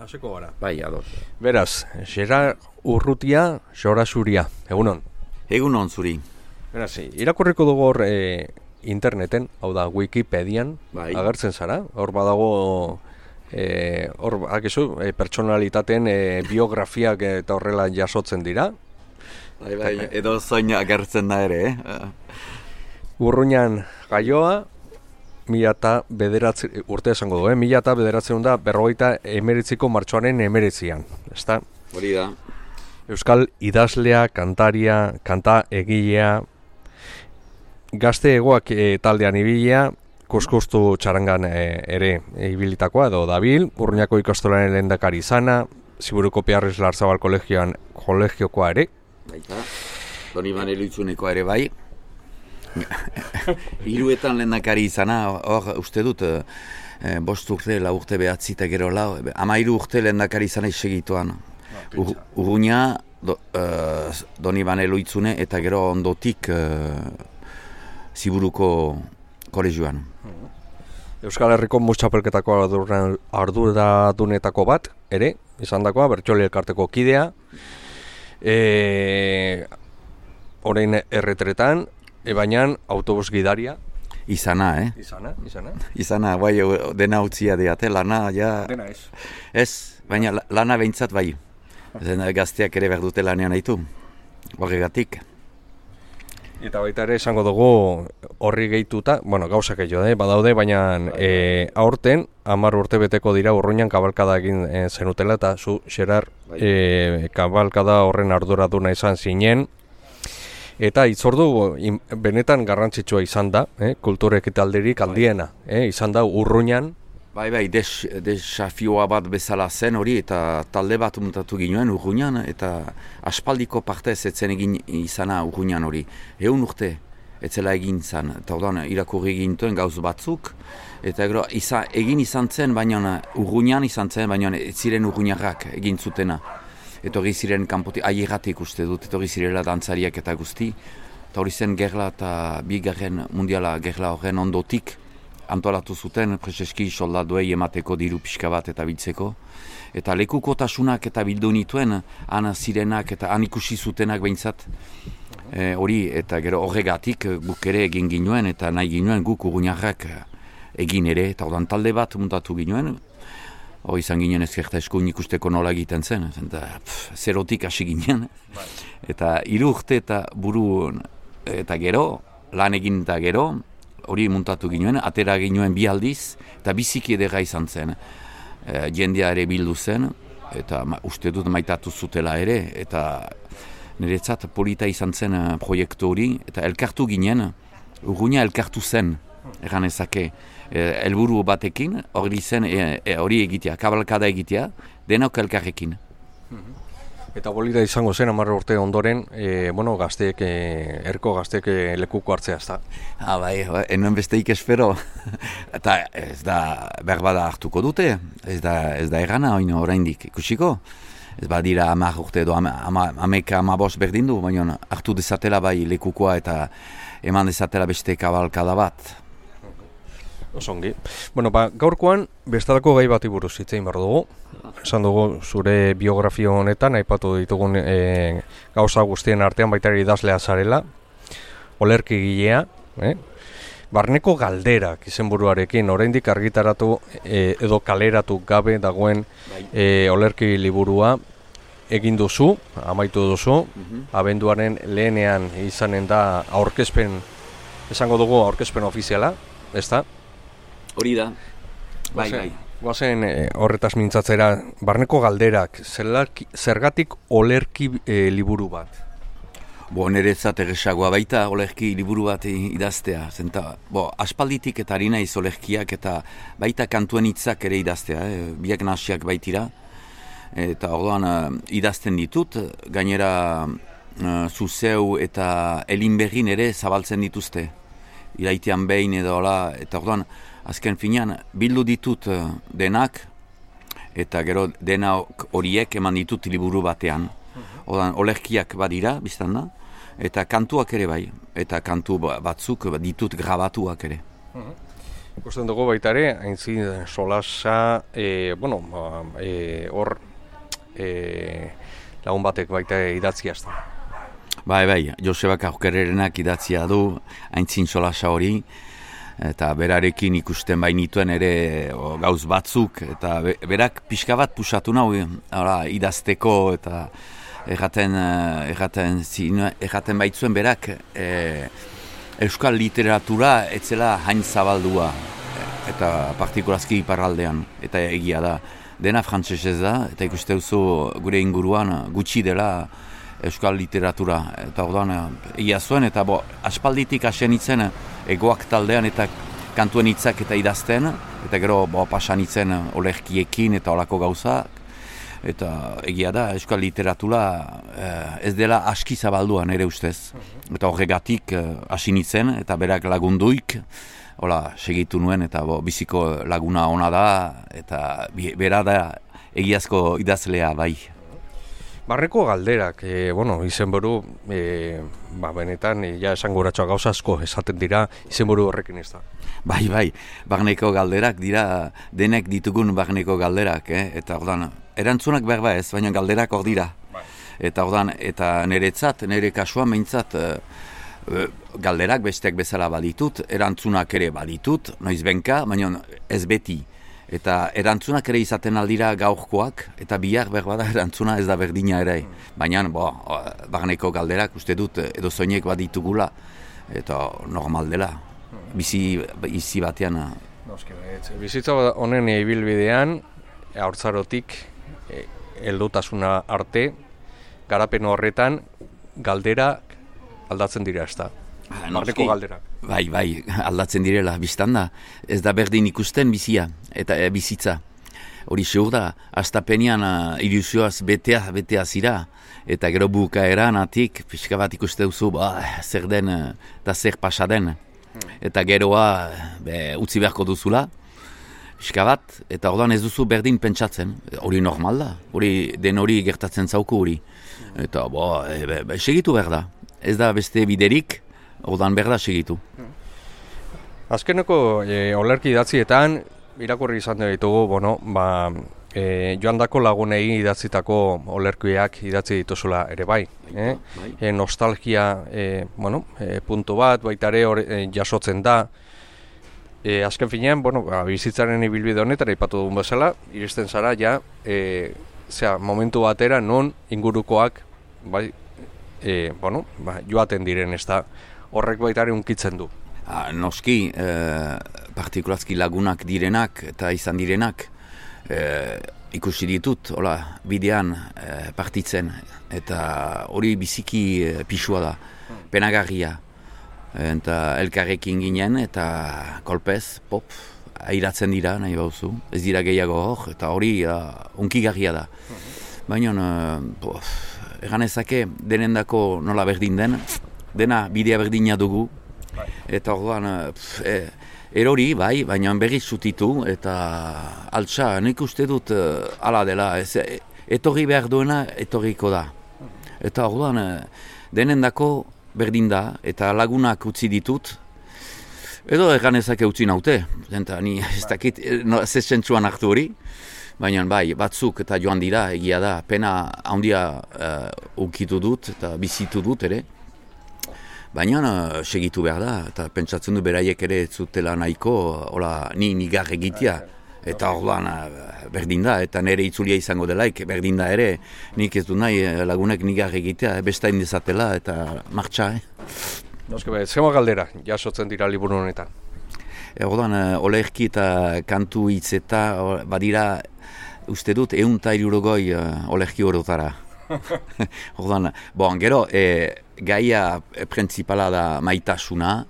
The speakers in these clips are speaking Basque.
Hasiko gara. Bai, ados. Beraz, Gerard Urrutia, Xorasuria. Egunon. Egunon zuri. Beraz, irakurriko dugu hor interneten, hau da Wikipedian, Bai. agertzen zara. Hor badago, hor akizu, pertsonalitateen biografiak eta horrela jasotzen dira. Bai, edo zoin agertzen da ere, Urruñan gaioa, 2009 urte esango du, 1989ko martxoaren 19an, ezta? Hori da. Euskal idazlea, kantaria, kanta egilea, gazte egoak taldean ibilea, kuskustu txarangan ere ibilitakoa edo dabil, Urruñako ikastolaren lehendakari izana, Ziburuko Piarriz Larzabal kolegiokoa ere. Baita, Doni Maneluitzunekoa ere bai. Hiruetan lehendakari izana, hor uste dut, 5 urte, 4 urte behatzi eta gero 13 urte lehendakari izana isegituan. Urruña, Doni Maneluitzune eta gero ondotik Ziburuko kolegioan. Euskal Herriko Mustxapelketako arduradunetako bat, ere, izan dakoa, Bertxoli elkarteko kidea, orain erretretan, baina autobus gidaria. Izana, Izana, bai, dena utzia diate, lana, ja... Dena ez. Ez, baina lana behintzat bai. Gazteak ere behar dute lanean haitu, horregatik. Eta baita ere esango dugu horri gehituta, bueno, gauzak gehiago, badaude, baina aurten, 10 urte beteko dira Urruñan kabalkada egin zenutela, eta zu, Gerard, kabalkada horren arduraduna izan zinen, eta hitzordu benetan garrantzitsua izan da, kultur ekitaldirik handiena, izan da Urruñan. Bai, desafioa bat bezala zen hori, eta talde bat muntatu ginoen Urruñan, eta aspaldiko partez etzen egin izana Urruñan hori. 100 urte etzela egin zen, eta orduan irakurri egintuen gauz batzuk, eta gero egin izan zen, baina Urruñan izan zen, baina ez ziren Urruñarrak egin zutena. Etorri ziren kanpotik, aierratik uste dut, etorri zirela dantzariak eta guzti, eta hori zen gerla eta bigarren mundiala gerla horren ondotik, antolatu zuten, prezeski soldaduei emateko diru pixka bat eta biltzeko. Eta lekukotasunak eta bildu nituen, han zirenak eta han ikusi zutenak behintzat hori, eta gero horregatik guk ere egin ginuen, eta nahi ginuen guk Urruñarrak egin ere, eta ordan talde bat muntatu ginuen. Hoi izan ginen ezkerta eskuin ikusteko nola egiten zen, eta zerotik hasi ginen. Eta 3 urte eta buru eta gero, lan egin eta gero, hori muntatu ginen, atera ginen 2 aldiz, eta biziki edera izan zen. Jendea ere bildu zen, eta uste dut maitatu zutela ere, eta niretzat polita izan zen proiektu hori, eta elkartu ginen, Urruña elkartu zen, egan ezake, helburu batekin, hori zen, hori egitea, kabalkada egitea, denok elkarrekin. Eta polita izango zen 10 urte ondoren, gazteek, erko gazteek lekuko hartzea, ez da? Bai, enuen besteik espero. Eta ez da, berbada hartuko dute, ez da errana oraindik ikusiko. Ez badira 10 urte edo 15 berdin du, baina hartu dezatela bai lekukoa eta eman dezatela beste kabalkada bat. Osongi. Gaurkoan bestalako gai bati buruz hitz egin behar dugu. Esan dugu zure biografio honetan, aipatu ditugun gauza guztien artean baita ere idazlea zarela, olerkigilea, barneko galderak izenburuarekin, oraindik argitaratu edo kaleratu gabe dagoen olerki liburua egin duzu, amaitu duzu, abenduaren lehenean izanen da aurkezpen, esango dugu aurkezpen ofiziala, ez da? Hori da, bai. Guazen horretaz mintzatzera, barneko galderak, zergatik olerki liburu bat? Niretzat erresagoa baita olerki liburu bat idaztea. Aspalditik eta ari naiz olerkiak eta baita kantuen hitzak ere idaztea, biak nasiak baitira. Eta orduan idazten ditut, gainera Zuzeu eta Elinberrin ere zabaltzen dituzte. Iraitean behin edo hola, eta orduan azken finean bildu ditut denak, eta gero dena horiek eman ditut liburu batean. Orduan olerkiak badira, biztan da, eta kantuak ere bai, eta kantu batzuk ditut grabatuak ere. Ikusten dugu baita ere, aintzin solasa, hor lagun batek baita idatzia ez da. Bai, Josebak Aukererenak idatzia du aintzin solasa hori, eta berarekin ikusten bainituen ere gauz batzuk, eta berak pixka bat pusatu nahu idazteko, eta erraten baitzuen berak euskal literatura etzela hain zabaldua, eta partikulazki iparraldean, eta egia da. Dena frantsesez da, eta ikuste duzu gure inguruan gutxi dela euskal literatura. Eta orduan egia zuen, eta aspalditik hasen itzen egoak taldean eta kantuen hitzak eta idazten, eta gero pasan itzen olerkiekin eta olako gauzak. Eta egia da, euskal literatura ez dela aski zabaldua nire ustez. Eta horregatik hasi nintzen, eta berak lagunduik, hola, segitu nuen, eta biziko laguna ona da, eta bera da egiazko idazlea bai. Barneko galderak, izenburu, benetan, esanguratxoa gauza asko esaten dira, izenburu horrekin ez da. Bai, barneko galderak dira, denek ditugun barneko galderak, eta ordan, erantzunak berba ez, baina galderak hor dira. Bai. Eta ordan, eta nire kasuan behintzat, galderak besteak bezala baditut, erantzunak ere baditut, noiz benka, baina ez beti. Eta erantzunak ere izaten aldira gaurkoak, eta bihar berbada erantzuna ez da berdina ere. Baina, barneko galderak uste dut edo zoinek baditugula, eta normal dela. Bizi batean. Bizitza honen ibilbidean, haurtzarotik, heldutasuna arte, garapen horretan, galderak aldatzen dira ez da. Barneko galderak. Bai, aldatzen direla, biztan da. Ez da berdin ikusten bizia, eta bizitza. Hori seur da, astapenean ilusioaz betea zira, eta gero bukaeran atik, pixka bat ikuste duzu, zer den, eta zer pasa den. Eta geroa utzi beharko duzula, pixka bat, eta ordan ez duzu berdin pentsatzen. Hori normal da, den hori gertatzen zauku hori. Eta segitu behar da. Ez da beste biderik, ordan behar da segitu. Azkeneko olerki idatzietan, irakurri izan ditugu, joandako lagunei idatzitako olerkiak idatzi dituzula ere bai. Nostalgia puntu bat, baita ere jasotzen da. Azken finean, bizitzaren ibilbide honetan aipatu dugun bezala, iristen zara momentu batera non ingurukoak joaten diren ez da horrek baita ere unkitzen du. Noski, partikulazki lagunak direnak eta izan direnak ikusi ditut, bidean partitzen, eta hori biziki pisua da, penagarria. Eta elkarrekin ginen eta kolpez, airatzen dira nahi bauzu, ez dira gehiago hor, eta hori unkigarria da. Baina, eganezake denendako nola berdin den, dena bidea berdina dugu, eta orduan, erori, bai, baina berriz zutitu, eta altsa, nik uste dut ala dela, etorri behar duena, etorriko da. Eta orduan, denendako berdin da, eta lagunak utzi ditut, edo eganezake utzi naute, eta ni ez dakit, zesentzuan hartu hori, baina bai, batzuk eta joan dira, egia da, pena handia ukitu dut, eta bizitu dut ere, baina segitu behar da, eta pentsatzen du beraiek ere zutela nahiko, nigar egitea, eta orduan berdin da, eta nire itzulia izango delaik, berdin da ere, nik ez du nahi lagunek nigar egitea, bestain dezatela, eta martxa, Zema galdera, jasotzen dira liburu honetan? Orduan, olerki eta kantu hitz eta badira, uste dut, 160 olerki horotara. Orduan, gero, gaia printzipala da maitasuna,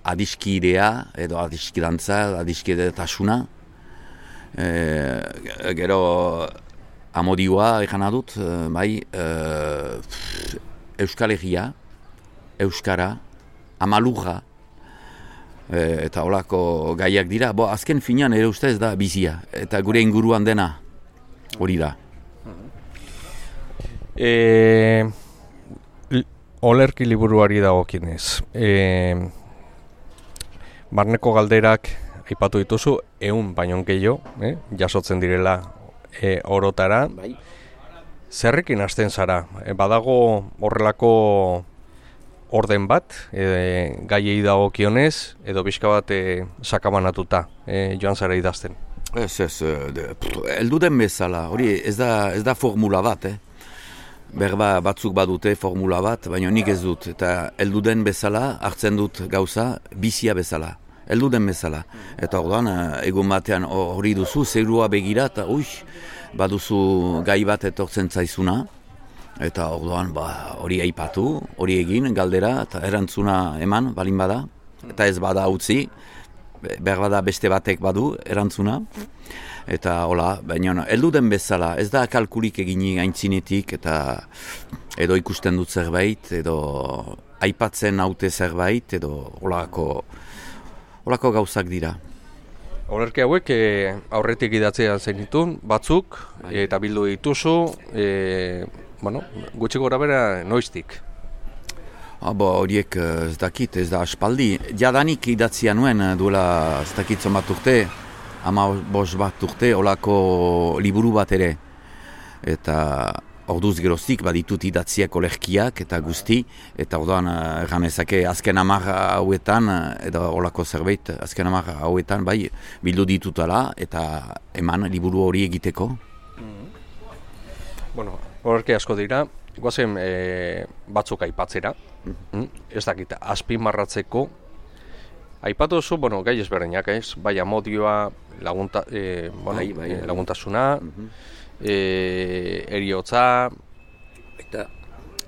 adiskidea, edo adiskidantza, adiskidetasuna. Gero, amodioa, egan adut, Euskal Herria, Euskara, Amalurra, eta holako gaiak dira. Azken finean ere ustez da bizia, eta gure inguruan dena hori da. Olerki liburuari dagokienez. barneko galderak aipatu dituzu, 100 baino gehiago, jasotzen direla orotara. Bai. Zerrekin hasten zara? Badago horrelako orden bat, gaiei dagokionez, edo pixka bat sakabanatuta joan zara idazten? Ez, heldu den bezala, hori ez da formula bat, Berba batzuk badute formula bat, baina nik ez dut, eta heldu den bezala, hartzen dut gauza, bizia bezala, heldu den bezala. Eta orduan, egun batean hori duzu, zerua begira, eta baduzu gai bat etortzen zaizuna, eta orduan hori aipatu, hori egin, galdera, eta erantzuna eman, balin bada, eta ez bada utzi, behar bada beste batek badu erantzuna, eta hola, baina heldu den bezala, ez da kalkulik egini aintzinetik, eta edo ikusten dut zerbait, edo aipatzen haute zerbait, edo holako gauzak dira. Olerki hauek aurretik idatzean zenitun, batzuk, eta bildu dituzu, gutxi gora bera noiztik? Horiek ez dakit, ez da aspaldi. Jadanik idatzia nuen duela ez dakit zonbat urte, 15 bat urte, olako liburu bat ere. Eta orduz geroztik baditut idatziak olerkiak eta guzti, eta orduan ganezake azken 10 hauetan, edo olako zerbait, azken 10 hauetan, bildu ditutala, eta eman liburu hori egiteko. Olerki asko dira, goazen batzuk aipatzera, ez dakit, azpimarratzeko, aipatu duzu, gai ezberdinak, bai amodioa, laguntasuna, eriotza, eta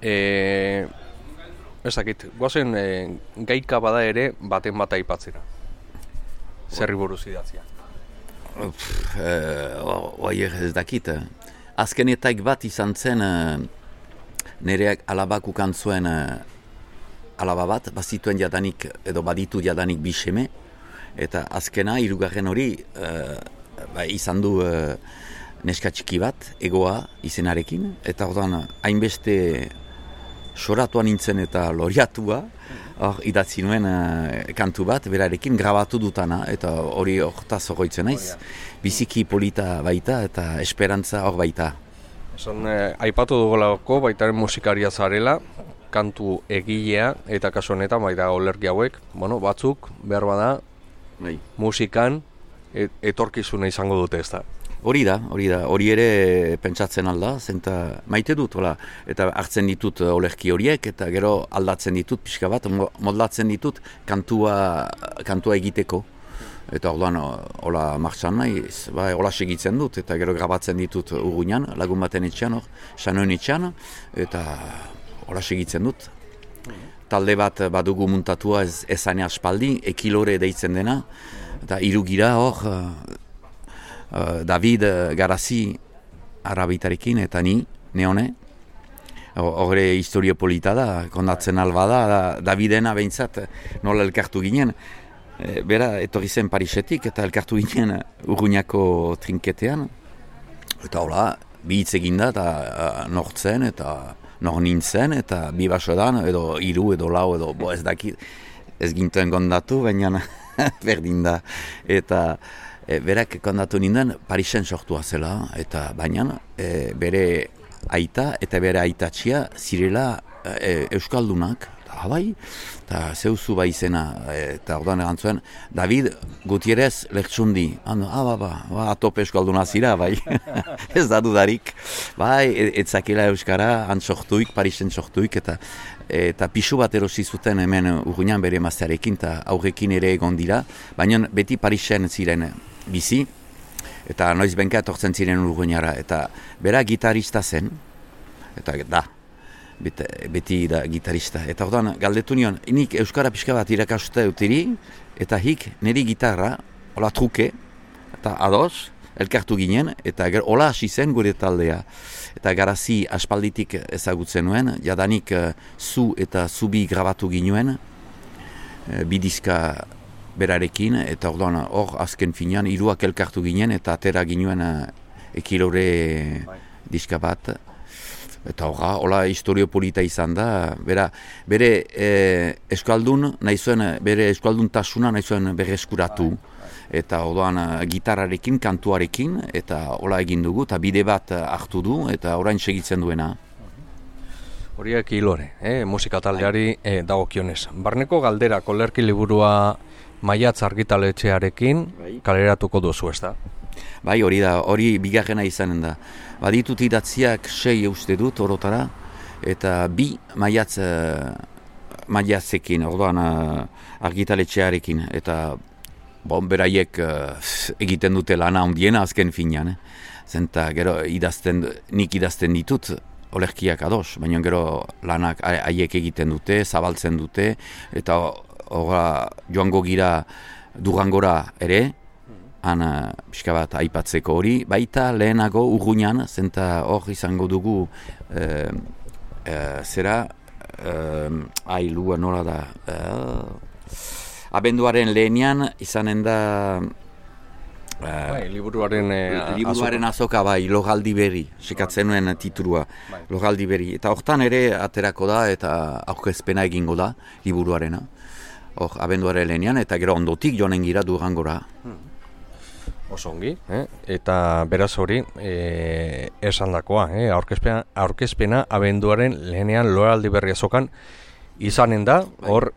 ez dakit, goazen gaika bada ere baten bat aipatzera, zerri buruz idatzia. Ez dakit, azkenetaik bat izan zen, nire alabak ukan zuen alaba bat, bazituen jadanik, edo baditu jadanik 2 seme, eta azkena, 3. hori, izan du neska txiki bat, Egoa izenarekin, eta orduan hainbeste soratuan nintzen eta loriatua, idatzi nuen kantu bat, berarekin grabatu dutana, eta hori hortaz horroitzen naiz, biziki polita baita eta esperantza hor baita. Aipatu dugolako baitaren musikaria zarela, kantu egilea eta kasu honetan baita olerki hauek, batzuk behar bada musikan etorkizuna izango dute, ez da? Hori ere pentsatzen alda, zenta maite dut, eta hartzen ditut olerki horiek, eta gero aldatzen ditut pixka bat, modlatzen ditut kantua egiteko. Eta orduan, hola martxan nahiz, hola segitzen dut, eta gero grabatzen ditut Urruñan, lagun baten etxean, Sanoen etxean, eta hola segitzen dut. Talde bat badugu muntatua ezane aspaldi, Ekilore deitzen dena, eta 3 gira David Garazi arabitarekin, eta ni, Neone. Horre historio polita da, kondatzen alba da, Davidena behintzat nola elkartu ginen. Bera, etorri zen Parisetik eta elkartu ginen Urruñako trinketean. Eta hola, bi hitz eginda eta nortzen eta nor nintzen eta 2 basodan, edo 3 edo 4 edo ez dakit, ez gintuen kondatu, baina berdin da. Eta berak kondatu ninden Parisen sortua zela, eta baina bere aita eta bere aitatxia zirela euskaldunak. Bai, eta zeuzu izena, eta ordan erantzuen, David Gutierrez Lertxundi. Atope euskalduna zira, bai, ez da dudarik. Bai, etzakela euskara, sortuik, Parisen sortuik, eta pixu bat erosi zuten hemen Urruñan bere emaztearekin, eta aurrekin ere egon dira, baina beti Parisen ziren bizi, eta noiz benka etortzen ziren Urruñara, eta bera gitarista zen, eta da. Beti da gitarista. Eta orduan, galdetu nion, nik euskara pixka bat irakastuta euteri, eta hik niri gitarra, hola truke, eta ados, elkartu ginen, eta hola hasi zen gure taldea. Eta Garazi aspalditik ezagutzen nuen, jadanik zu eta zubi grabatu ginuen, 2 diska berarekin, eta orduan hor azken finean 3 elkartu ginen, eta atera ginuen Ekilore diska bat. Eta hola historio polita izan da, bere euskaldun nahi zuen, bere euskalduntasuna nahi zuen berreskuratu. Eta orduan gitarrarekin, kantuarekin, eta hola egin dugu, eta bide bat hartu du, eta orain segitzen duena. Horiek hilore, musika taldeari dagokionez. Barneko galdera, kolerki liburua Maiatz argitaletxearekin kaleratuko duzu, ez da? Bai, hori bigarrena izanen da. Baditut idatziak 6 uste dut orotara, eta 2 Maiatzekin, orduan argitaletxearekin, eta beraiek egiten dute lana ondiena azken finean. Zenta gero nik idazten ditut, olerkiak ados, baina gero lanak haiek egiten dute, zabaltzen dute, eta joango gira Durangora ere, han pixka bat aipatzeko hori, baita lehenago Urruñan, zenta hor izango dugu lua nola da, abenduaren lehenean izanen da liburuaren azoka Logaldi berri, sekatzen nuen titulua, Logaldi berri. Eta hortan ere aterako da eta aurkezpena egingo da liburuarena. Hor, abenduaren lehenean eta gero ondotik joanen gira Durangora. Oso ongi, eta beraz hori esandakoa, aurkezpena abenduaren lehenean Logaldi berri azokan izanen da, hor,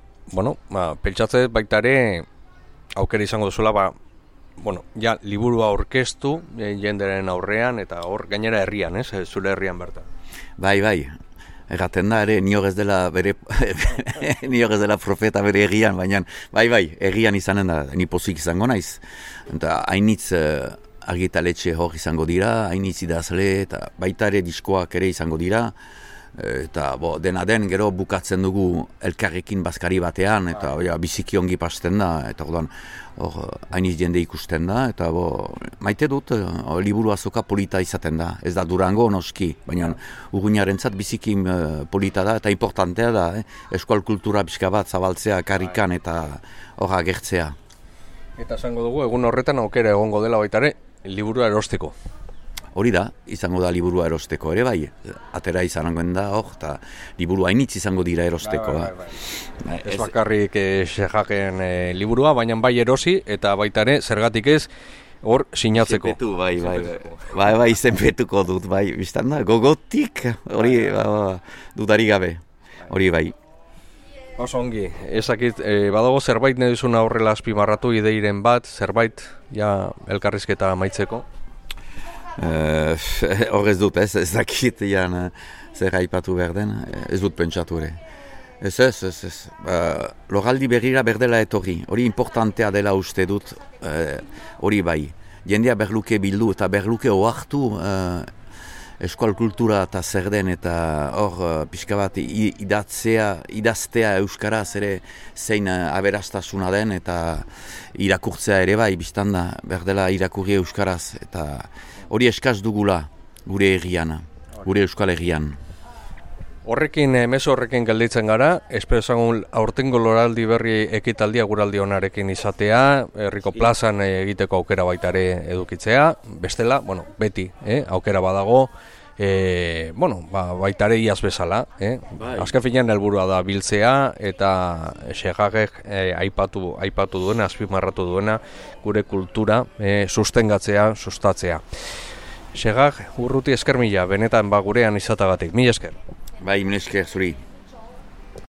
pentsatze baita ere aukera izango duzula, liburua aurkeztu jenderen aurrean, eta hor gainera herrian, zure herrian bertan. Bai, erraten da ere, nior ez dela profeta bere herrian, baina bai, herrian izanen da, ni pozik izango naiz. Eta hainitz argitaletxe hor izango dira, hainitz idazle, eta baita ere diskoak ere izango dira, eta dena den gero bukatzen dugu elkarrekin bazkari batean, eta biziki ongi pasten da, eta hainiz jende ikusten da, eta maite dut liburu azoka polita izaten da, ez da Durango noski, baina Urruñarentzat biziki polita da, eta importantea da, euskal kultura pixka bat zabaltzea karrikan eta hor agertzea. Eta esango dugu, egun horretan aukera egongo dela baitare, liburua erosteko. Hori da, izango da liburua erosteko ere bai, atera izangoen da, eta liburu hainitz izango dira erosteko. Ez bakarrik Sejaken liburua, baina bai erosi, eta baita ere, zergatik ez, hor sinatzeko. Izenpetu, bai, izenpetuko dut, bai, biztan da, gogotik, hori dudari gabe, hori bai. Oso ongi, ezakit, badago zerbait nahi duzuna horrela azpimarratu ideiren bat, zerbait, elkarrizketa amaitzeko? Horrez dut, ez dakit zer aipatu behar den, ez dut pentsatu ere. Ez. Logaldi berrira berdela etorri, hori importantea dela uste dut, hori bai. Jendea berluke bildu eta berluke oartu eskual kultura eta zer den, eta hor pixka bat idaztea euskaraz ere zein aberastasuna den, eta irakurtzea ere bai, biztan da, berdela irakurri euskaraz, eta hori eskaz dugula gure herrian, gure euskal herrian. Horrekin, mezu horrekin gelditzen gara, espero ezagun aurtengo Logaldi berri ekitaldia guraldi onarekin izatea, herriko plazan egiteko aukera baita ere edukitzea, bestela, beti, aukera badago, baita ere iaz bezala, azken finean helburua da biltzea, eta Segagek aipatu duena, azpimarratu duena, gure kultura sustengatzea, sustatzea. Segag, Urruti esker mila, benetan gurean izatagatik, mila esker. Bai, mila esker zuri.